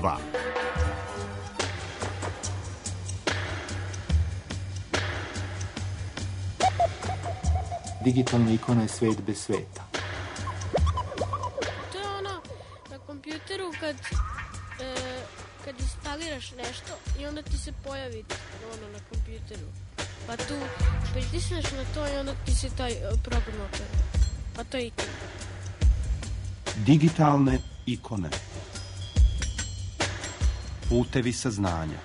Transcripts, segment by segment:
2. Digitalna ikona je svet bez sveta. To je ono na kompjuteru kad instaliraš nešto i onda ti se pojavi ono na kompjuteru. Pa tu pritisneš na to i onda ti se taj program otvori. Pa to je ikona. Digitalne ikone. Putevi saznanja.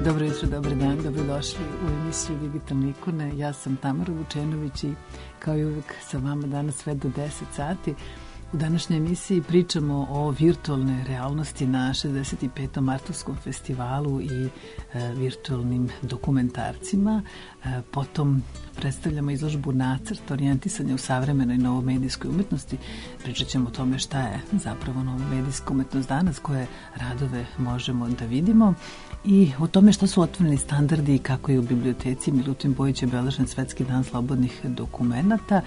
Dobro jutro, dobar dan, dobrodošli u emisiju Digitalne ikone. Ja sam Tamara Vučenović i kao i uvijek sa vama danas sve do 10 sati. U današnjoj emisiji pričamo o virtualnoj realnosti na 65. Martovskom festivalu i virtualnim dokumentarcima. Potom predstavljamo izložbu Nacrt, orijentisanje u savremenoj novomedijskoj umetnosti. Pričat ćemo o tome šta je zapravo novomedijska umetnost danas, koje radove možemo da vidimo i o tome što su otvoreni standardi i kako je u biblioteci Milutin Bojić obeležen Svetski dan slobodnih dokumenata.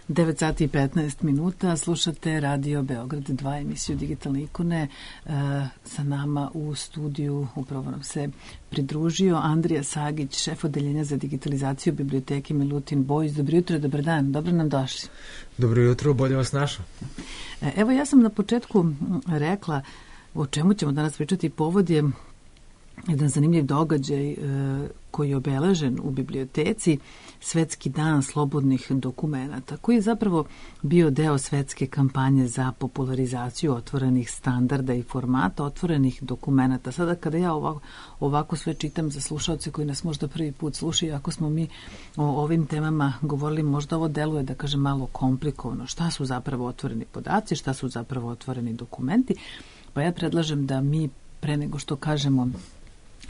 9 sati i 15 minuta, slušate Radio Beograd 2, emisiju Digitalne ikone. Sa nama u studiju upravo nam se pridružio Andrija Sagić, šef odeljenja za digitalizaciju biblioteke Milutin Bojić. Dobro jutro, dobar dan, dobro nam došli. Dobro jutro, bolje vas našao. Evo, ja sam na početku rekla o čemu ćemo danas pričati. Povod je jedan zanimljiv događaj koji je obeležen u biblioteci, Svetski dan slobodnih dokumenata, koji je zapravo bio deo svetske kampanje za popularizaciju otvorenih standarda i formata otvorenih dokumenata. Sada kada ja ovako sve čitam za slušaoce koji nas možda prvi put slušaju, ako smo mi o ovim temama govorili, možda ovo deluje, da kažem, malo komplikovano. Šta su zapravo otvoreni podaci, šta su zapravo otvoreni dokumenti? Pa ja predlažem da mi, pre nego što kažemo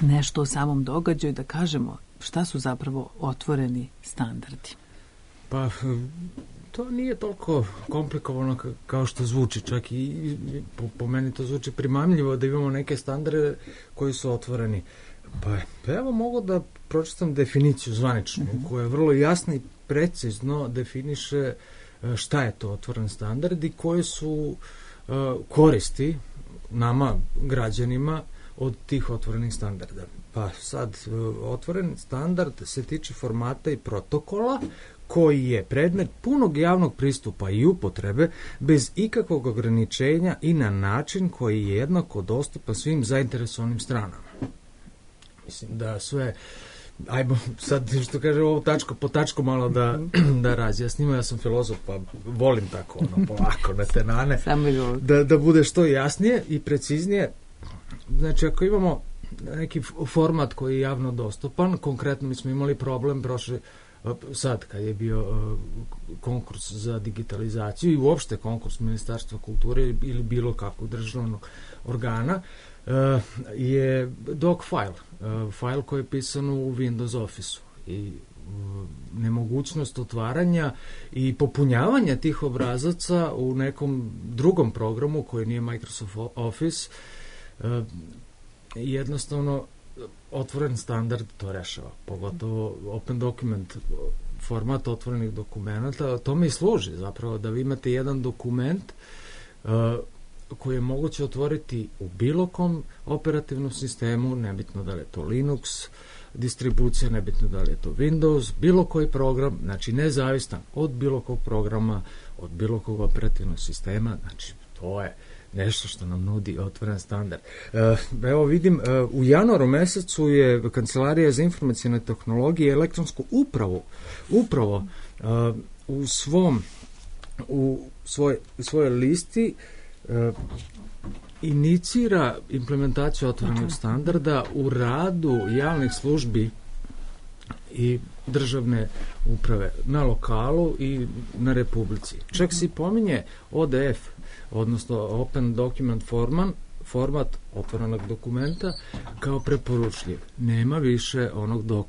nešto o samom događaju, da kažemo šta su zapravo otvoreni standardi. Pa, to nije toliko komplikovano kao što zvuči, čak i po meni to zvuči primamljivo da imamo neke standarde koji su otvoreni. Pa evo mogu da pročitam definiciju zvaničnu, koja je vrlo jasna i precizno definiše šta je to otvoren standard i koje su koristi nama, građanima, od tih otvorenih standarda. Pa sad, otvoren standard se tiče formata i protokola koji je predmet punog javnog pristupa i upotrebe bez ikakvog ograničenja i na način koji je jednako dostupan svim zainteresovanim stranama. Mislim da sve, ajmo sad što kaže ovo tačko po tačko malo da razjasnimo. Ja sam filozof pa volim tako polako na tenane da bude što jasnije i preciznije. Znači, ako imamo neki format koji je javno dostupan, konkretno mi smo imali problem sad kad je bio konkurs za digitalizaciju i uopšte konkurs Ministarstva kulture ili bilo kakvog državnog organa, je doc file koji je pisan u Windows Office-u i nemogućnost otvaranja i popunjavanja tih obrazaca u nekom drugom programu koji nije Microsoft Office. Jednostavno otvoren standard to rešava, pogotovo open document format otvorenih dokumenta. Tome i služi zapravo da vi imate jedan dokument koji je moguće otvoriti u bilo kom operativnom sistemu, nebitno da li je to Linux distribucija, nebitno da li je to Windows, bilo koji program, znači nezavistan od bilo kog programa, od bilo kog operativnog sistema, znači to je nešto što nam nudi otvoren standard. Evo vidim, u januaru mesecu je Kancelarija za informacijne tehnologije i elektronsku upravo u svojoj listi inicira implementaciju otvorenog standarda u radu javnih službi i državne uprave na lokalu i na republici. Čak se pominje ODF, odnosno Open Document format otvorenog dokumenta kao preporučljiv. Nema više onog doc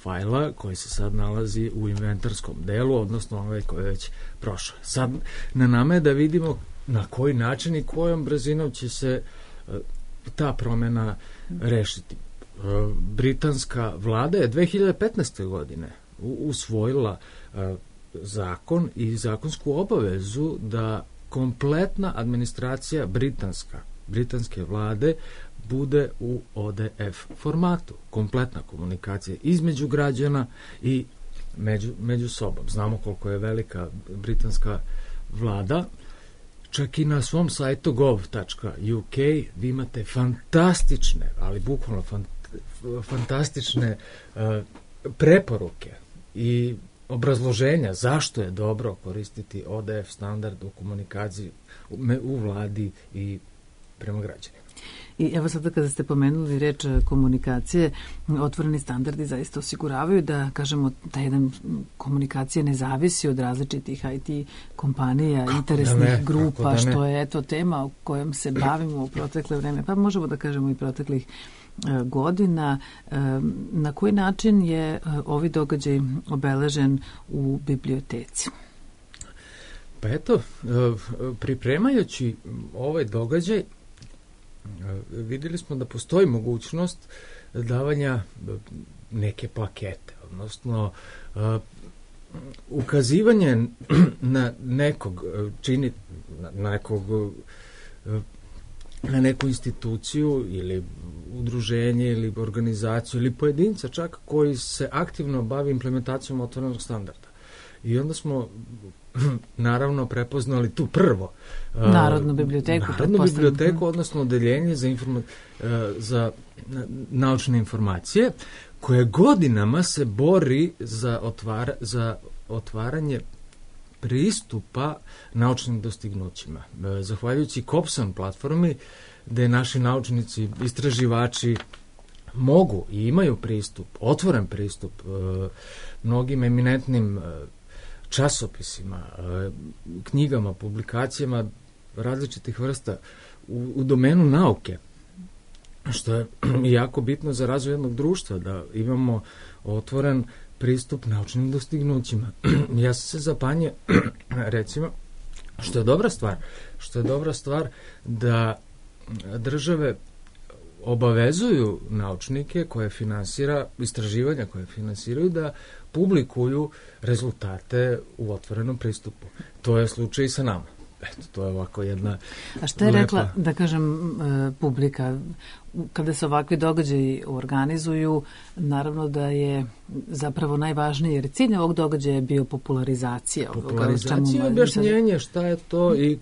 fajla koji se sad nalazi u inventarskom delu, odnosno ovaj koji je već prošao. Sad na nama je da vidimo na koji način i kojom brzinom će se ta promjena rešiti. Britanska vlada je 2015. godine usvojila zakon i zakonsku obavezu da kompletna administracija britanske vlade bude u ODF formatu. Kompletna komunikacija između građana i među sobom. Znamo koliko je velika britanska vlada. Čak i na svom sajtu gov.uk vi imate fantastične, ali bukvalno fantastične preporuke i obrazloženja zašto je dobro koristiti ODF standard u komunikaciji u vladi i prema građanima. I evo sada kada ste pomenuli reč komunikacije, otvoreni standardi zaista osiguravaju da, kažemo, ta jedan komunikacija ne zavisi od različitih IT kompanija, interesnih grupa, što je eto tema o kojom se bavimo u protekle vreme, pa možemo da kažemo i proteklih godina. Na koji način je ovaj događaj obeležen u biblioteci? Pa eto, pripremajući ovaj događaj, vidjeli smo da postoji mogućnost davanja neke plakete, odnosno ukazivanje na nekog na neku instituciju ili udruženje ili organizaciju ili pojedinca čak koji se aktivno bavi implementacijom otvorenog standarda. I onda smo naravno prepoznali tu prvo Narodnu biblioteku, odnosno odeljenje za naučne informacije, koje godinama se bori za otvaranje pristupa naučnim dostignućima. Zahvaljujući COPSAN platformi, gde naši naučnici, istraživači mogu i imaju pristup, otvoren pristup mnogim eminentnim časopisima, knjigama, publikacijama različitih vrsta u domenu nauke, što je jako bitno za razvoj jednog društva, da imamo otvoren pristup naučnim dostignućima. Ja sam se zapanjio, recimo, što je dobra stvar da države obavezuju naučnike koje finansira, istraživanja koje finansiraju, da publikuju rezultate u otvorenom pristupu. To je slučaj i sa nama. Eto, to je ovako jedna A što je rekla, da kažem, publika? Kada se ovakvi događaji organizuju, naravno da je zapravo najvažnije, jer cilj ovog događaja je bio popularizacija. Popularizacija, objašnjenje šta je to i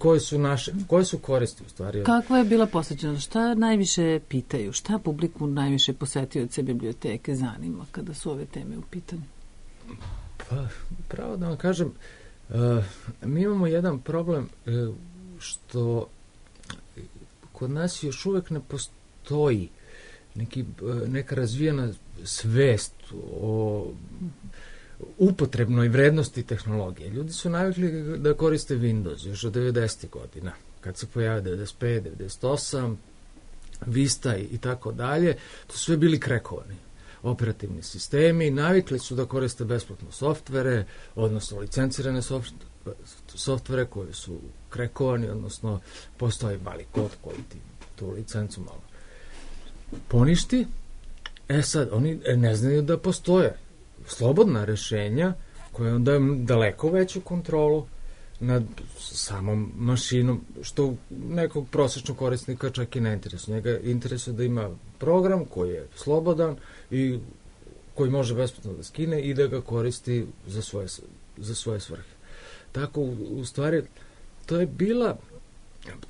koje su koristi u stvari. Kakva je bila posvećenost? Šta najviše pitaju? Šta publiku najviše posetioce biblioteke zanima kada su ove teme u pitanju? Pa, pravo da vam kažem, mi imamo jedan problem što kod nas još uvek ne postoji neka razvijena svest o upotrebnoj vrednosti tehnologije. Ljudi su navikli da koriste Windows još od 90. godina, kad se pojavio 95, 98, Vista i tako dalje, to su sve bili krekovani operativni sistemi, navikli su da koriste besplatno softvere, odnosno licencirane softvere koji su krekovani, odnosno postoji mali kod koji ti tu licencu malo poništi. Sad, oni ne znaju da postoje slobodna rešenja koje onda daleko veću kontrolu nad samom mašinom, što nekog prosječnog korisnika čak i ne interesuje. Njega interesuje da ima program koji je slobodan i koji može besplatno da skine i da ga koristi za svoje svrhe. Tako, u stvari, to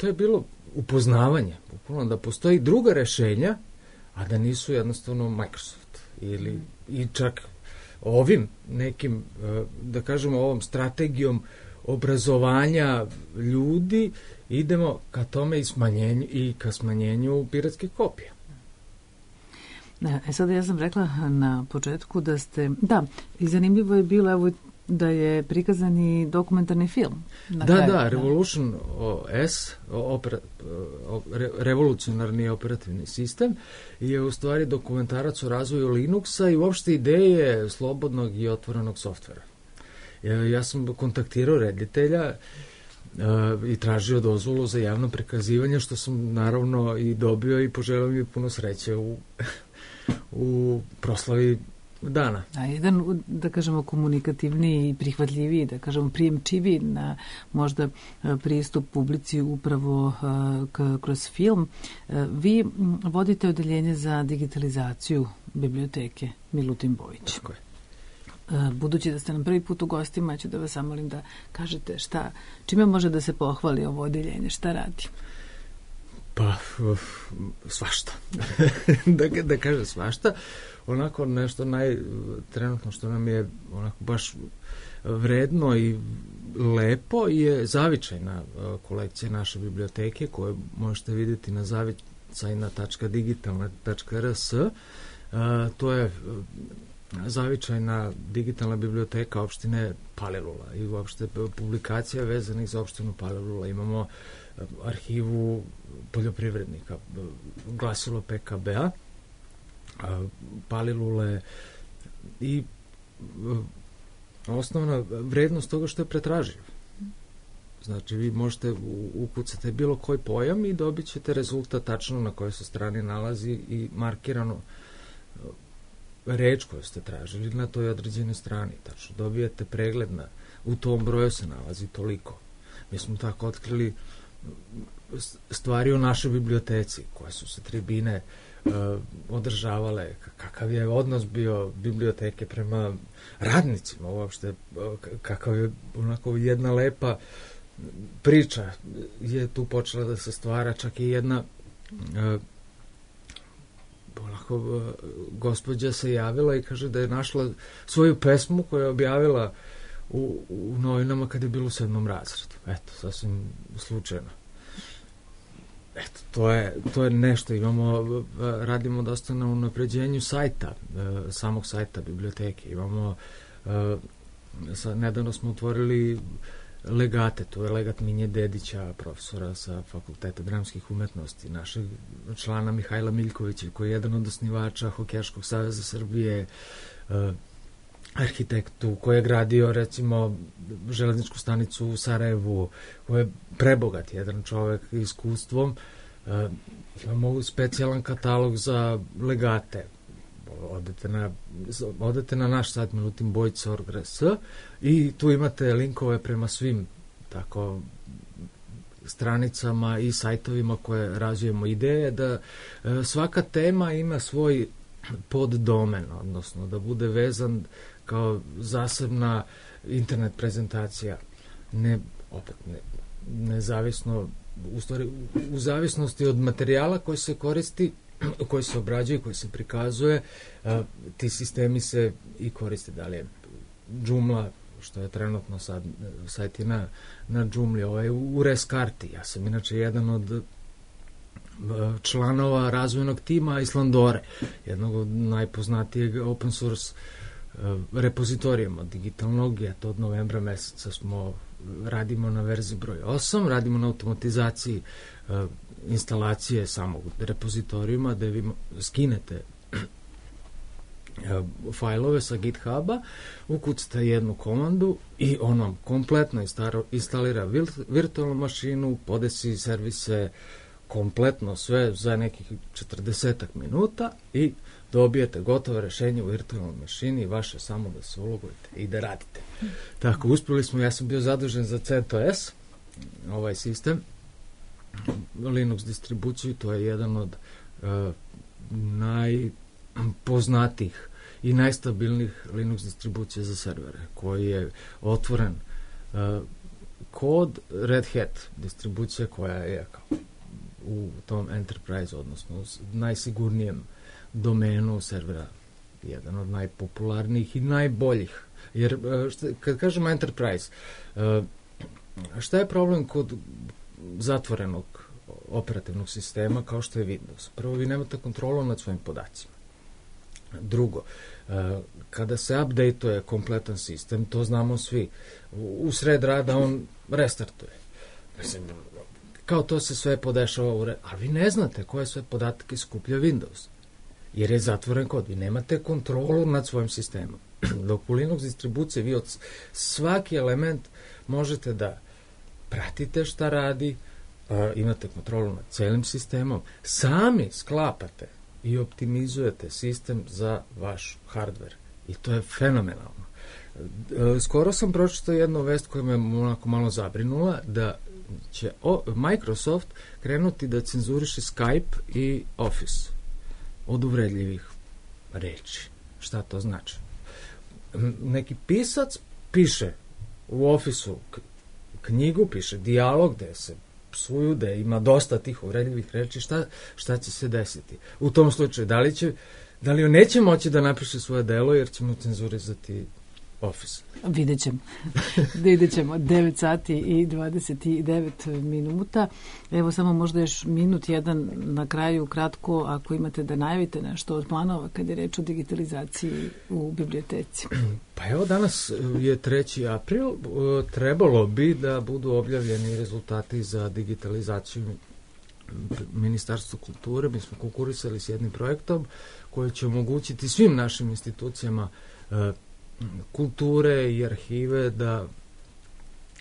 je bilo upoznavanje, bukvalno da postoji druga rešenja, a da nisu jednostavno Microsoft. I čak ovim nekim, da kažemo, ovom strategijom obrazovanja ljudi idemo ka tome i ka smanjenju piratskih kopija. Sada ja sam rekla na početku da ste, da, i zanimljivo je bilo, evo, da je prikazan i dokumentarni film. Da, Revolution S, revolucionarni operativni sistem, je u stvari dokumentarac o razvoju Linuxa i uopšte ideje slobodnog i otvorenog softvera. Ja sam kontaktirao reditelja i tražio dozvolu za javno prikazivanje, što sam naravno i dobio i poželeo mi puno sreće u proslavi dana. A jedan, da kažemo, komunikativniji i prihvatljiviji, da kažemo, prijemčiviji na možda pristup publici upravo kroz film. Vi vodite odeljenje za digitalizaciju biblioteke Milutin Bojić. Tako je. Budući da ste nam prvi put u gostima, ću da vas zamolim da kažete čime može da se pohvali ovo odeljenje, šta radi? Pa, svašta. da kažem svašta. Onako nešto trenutno što nam je onako baš vredno i lepo je zavičajna kolekcija naše biblioteke koju možete vidjeti na zavicajna.digitalna.rs. To je zavičajna digitalna biblioteka opštine Palilula i uopšte publikacija vezanih za opštinu Palilula. Imamo arhivu poljoprivrednika, glasilo PKB-a, Palilule i osnovna vrednost toga što je pretraživ. Znači, vi možete ukucati bilo koji pojam i dobit ćete rezultat tačno na kojoj se strani nalazi i markirano reč koju ste tražili na toj određenoj strani. Tačno dobijete pregled u tom broju se nalazi toliko. Mi smo tako otkrili stvari o našoj biblioteci, koje su se tribine održavale, kakav je odnos bio biblioteke prema radnicima uopšte, kakav je onako jedna lepa priča je tu počela da se stvara, čak i jedna gospođa se javila i kaže da je našla svoju pesmu koju je objavila u novinama kad je bilo u 7. razredu. Eto, sasvim slučajno. Eto, to je nešto. Radimo dosta na unapređenju sajta, samog sajta biblioteke. Nedavno smo otvorili legate, to je legat Minje Dedića, profesora sa Fakulteta dramskih umetnosti, našeg člana Mihajla Miljkovića, koji je jedan od osnivača Hokejaškog saveza Srbije, arhitektu koji je gradio, recimo, železničku stanicu u Sarajevu, koji je prebogat jedan čovek iskustvom. Imamo specijalan katalog za legate. Odete na naš sajt milutinbojić.org.rs i tu imate linkove prema svim tako stranicama i sajtovima koje razvijemo. Ideje da svaka tema ima svoj poddomen, odnosno da bude vezan kao zasebna internet prezentacija, nezavisno, u stvari u zavisnosti od materijala koji se koristi, koji se obrađuje, koji se prikazuje, ti sistemi se i koriste. Da li je Joomla, što je trenutno sad sajt na Joomli, u Reskarti. Ja sam inače jedan od članova razvojnog tima Islandore, jednog od najpoznatijeg open source repozitorijama digitalnog. Eto, od novembra meseca radimo na verziji broj 8, radimo na automatizaciji instalacije samog repozitorijuma, da vi skinete fajlove sa GitHuba, ukucate jednu komandu i on vam kompletno instalira virtualnu mašinu, podesi servise kompletno sve za nekih 40 minuta i dobijete gotovo rešenje u virtualnoj mašini i vaše samo da se ulogujete i da radite. Tako, uspjeli smo, ja sam bio zadužen za CentOS, ovaj sistem, Linux distribuciju, to je jedan od najpoznatijih i najstabilnijih Linux distribucija za servere, koji je otvoren kod Red Hat distribucija koja je u tom enterprise, odnosno najsigurnijem domenu servera, jedan od najpopularnijih i najboljih. Jer kad kažemo enterprise, šta je problem kod zatvorenog operativnog sistema kao što je Windows? Prvo, vi nemate kontrolu nad svojim podacima. Drugo, kada se updateuje kompletan sistem, to znamo svi, u sred rada on restartuje. Mislim, kao to se sve podešava ali vi ne znate koje sve podatke skuplja Windows, jer je zatvoren kod. Vi nemate kontrolu nad svojim sistemom. Dok u Linux distribuciji vi od svaki element možete da pratite šta radi, imate kontrolu nad celim sistemom, sami sklapate i optimizujete sistem za vaš hardware. I to je fenomenalno. Skoro sam pročitao jednu vest koja me onako malo zabrinula, da će Microsoft krenuti da cenzuriše Skype i Office od uvredljivih reči. Šta to znači? Neki pisac piše u Office-u knjigu, piše dijalog gde se psuju, da ima dosta tih uvredljivih reči, šta će se desiti? U tom slučaju, da li on neće moći da napiše svoje delo jer će mu cenzurizati Office? Vidjet ćemo. 9 sati i 29 minuta. Evo samo možda još minut jedan na kraju, kratko, ako imate da najavite nešto od planova kad je reč o digitalizaciji u biblioteci. Pa evo, danas je 3. april, trebalo bi da budu objavljeni rezultati za digitalizaciju Ministarstva kulture. Mi smo konkurisali s jednim projektom koji će omogućiti svim našim institucijama kulture i arhive da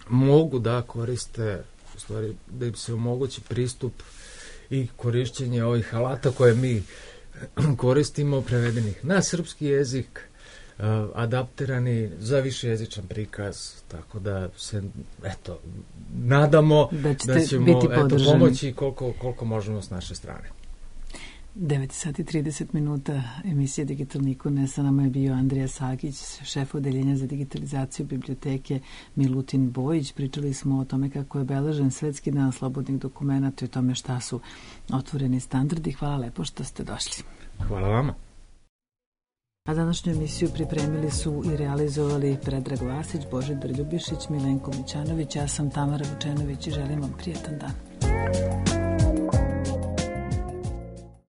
mogu da koriste, u stvari da im se omogući pristup i korišćenje ovih alata koje mi koristimo, prevedenih na srpski jezik, adaptirani za višejezičan prikaz, tako da se nadamo da ćemo pomoći koliko možemo s naše strane. 9 sati 30 minuta emisije Digitalne ikone. Sa nama je bio Andrija Sagić, šef odeljenja za digitalizaciju biblioteke Milutin Bojić. Pričali smo o tome kako je obeležen Svetski dan slobodnih dokumenata i o tome šta su otvoreni standardi. Hvala lepo što ste došli. Hvala vama. A današnju emisiju pripremili su i realizovali Predrag Vasić, Božidar Ljubišić, Milenko Mićanović. Ja sam Tamara Vučenović i želim vam prijetan dan.